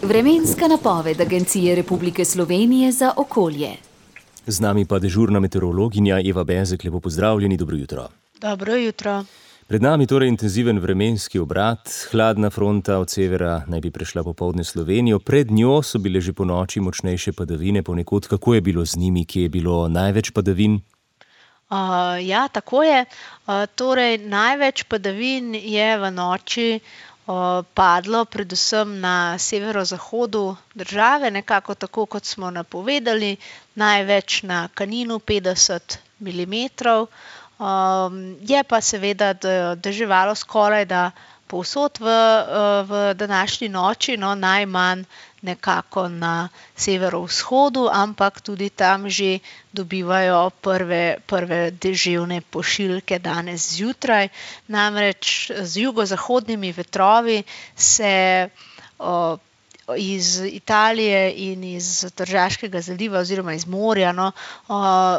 Vremenska napoved Agencije Republike Slovenije za okolje. Z nami pa dežurna meteorologinja Eva Bezek. Lepo pozdravljeni, dobro jutro. Dobro jutro. Pred nami torej intenziven vremenski obrat. Hladna fronta od severa naj bi prešla popoldne Slovenijo. Pred njo so bile že ponoči močnejše padavine ponekod. Kako je bilo z njimi? Kje je bilo največ padavin? Ja, tako je. Torej, največ padavin je v noči padlo predvsem na severozahodu države, nekako tako, kot smo napovedali, največ na Kaninu 50 milimetrov. Je pa seveda deževalo skorajda povsod v današnji noči, no najmanj nekako na severovzhodu, ampak tudi tam že dobivajo prve deževne pošiljke danes zjutraj. Namreč z jugozahodnimi vetrovi se iz Italije in iz Tržaškega zaliva oziroma iz morja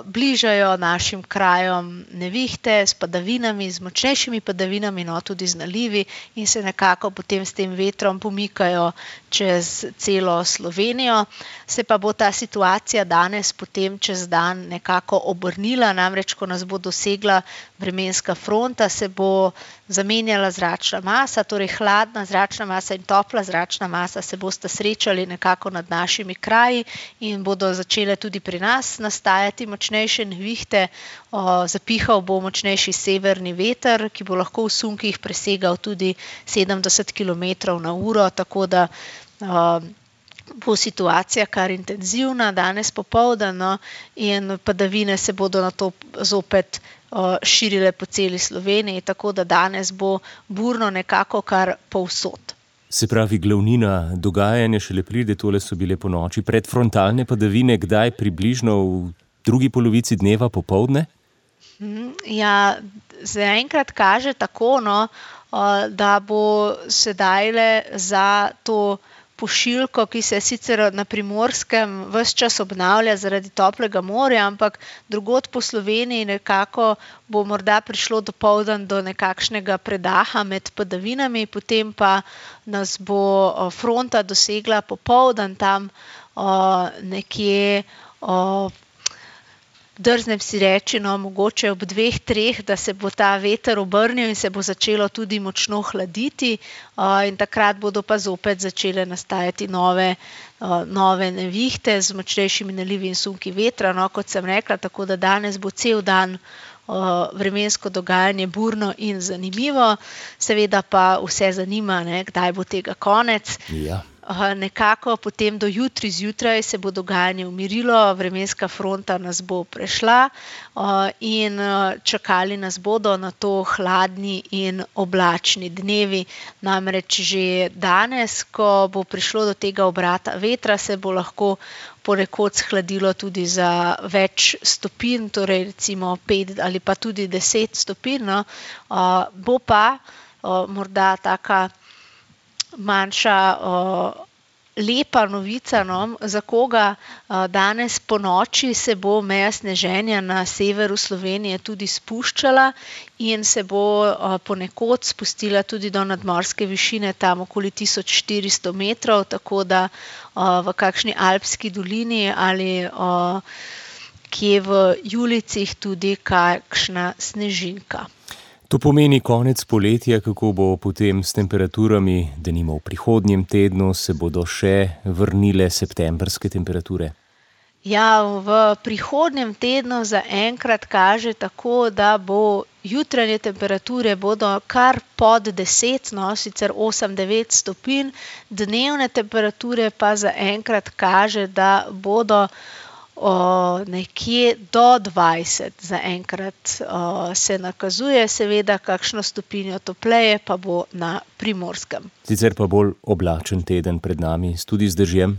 bližajo našim krajem nevihte s padavinami, z močnejšimi padavinami, tudi z nalivi, in se nekako potem s tem vetrom pomikajo čez celo Slovenijo. Se pa bo ta situacija danes potem čez dan nekako obrnila, namreč ko nas bo dosegla vremenska fronta, se bo zamenjala zračna masa, torej hladna zračna masa in topla zračna masa se bosta srečali nekako nad našimi kraji in bodo začele tudi pri nas nastajati močnejše nevihte. Zapihal bo močnejši severni veter, ki bo lahko v sunkih presegal tudi 70 km/h, tako da bo situacija kar intenzivna danes popoldan, in padavine se bodo nato zopet širile po celi Sloveniji, tako da danes bo burno nekako kar povsod. Se pravi, glavnina dogajanja šele pride, tole so bile ponoči predfrontalne padavine, kdaj približno v drugi polovici dneva popoldne? Ja, zaenkrat kaže tako, da bo sedajle za to pošiljko, ki se sicer na Primorskem ves čas obnavlja zaradi toplega morja, ampak drugod po Sloveniji nekako bo morda prišlo dopoldan do nekakšnega predaha med padavinami, potem pa nas bo fronta dosegla popoldan tam nekje, drznem si reči, mogoče ob 2-3, da se bo ta veter obrnil in se bo začelo tudi močno hladiti, in takrat bodo pa zopet začele nastajati nove nevihte z močnejšimi nalivi in sunki vetra, kot sem rekla, tako da danes bo cel dan vremensko dogajanje burno in zanimivo. Seveda pa vse zanima, kdaj bo tega konec. Ja. Nekako potem do jutri zjutraj se bo dogajanje umirilo, vremenska fronta nas bo prešla in čakali nas bodo na to hladni in oblačni dnevi. Namreč že danes, ko bo prišlo do tega obrata vetra, se bo lahko ponekod shladilo tudi za več stopinj, torej recimo 5 ali pa tudi 10 stopinj. Bo pa morda taka manjša lepa novica, za koga danes po noči se bo meja sneženja na severu Slovenije tudi spuščala in se bo ponekod spustila tudi do nadmorske višine, tam okoli 1400 metrov, tako da v kakšni alpski dolini ali kje v Julicih tudi kakšna snežinka. To pomeni konec poletja. Kako bo potem s temperaturami, denimo v prihodnjem tednu, se bodo še vrnile septembrske temperature? Ja, v prihodnjem tednu zaenkrat kaže tako, da bo jutranje temperature bodo kar pod 10, sicer 8-9 stopinj, dnevne temperature pa zaenkrat kaže, da bodo nekje do 20 zaenkrat se nakazuje, seveda kakšno stopinjo topleje pa bo na Primorskem. Sicer pa bolj oblačen teden pred nami, tudi z dežjem?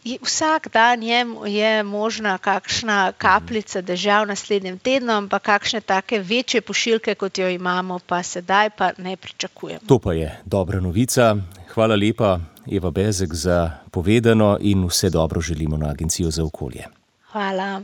Vsak dan je možna kakšna kapljica dežja v naslednjem tednu, ampak kakšne take večje pošiljke, kot jo imamo, pa sedaj pa ne pričakujemo. To pa je dobra novica. Hvala lepa, Eva Bezek, za povedano in vse dobro želimo na Agencijo za okolje. Hvala.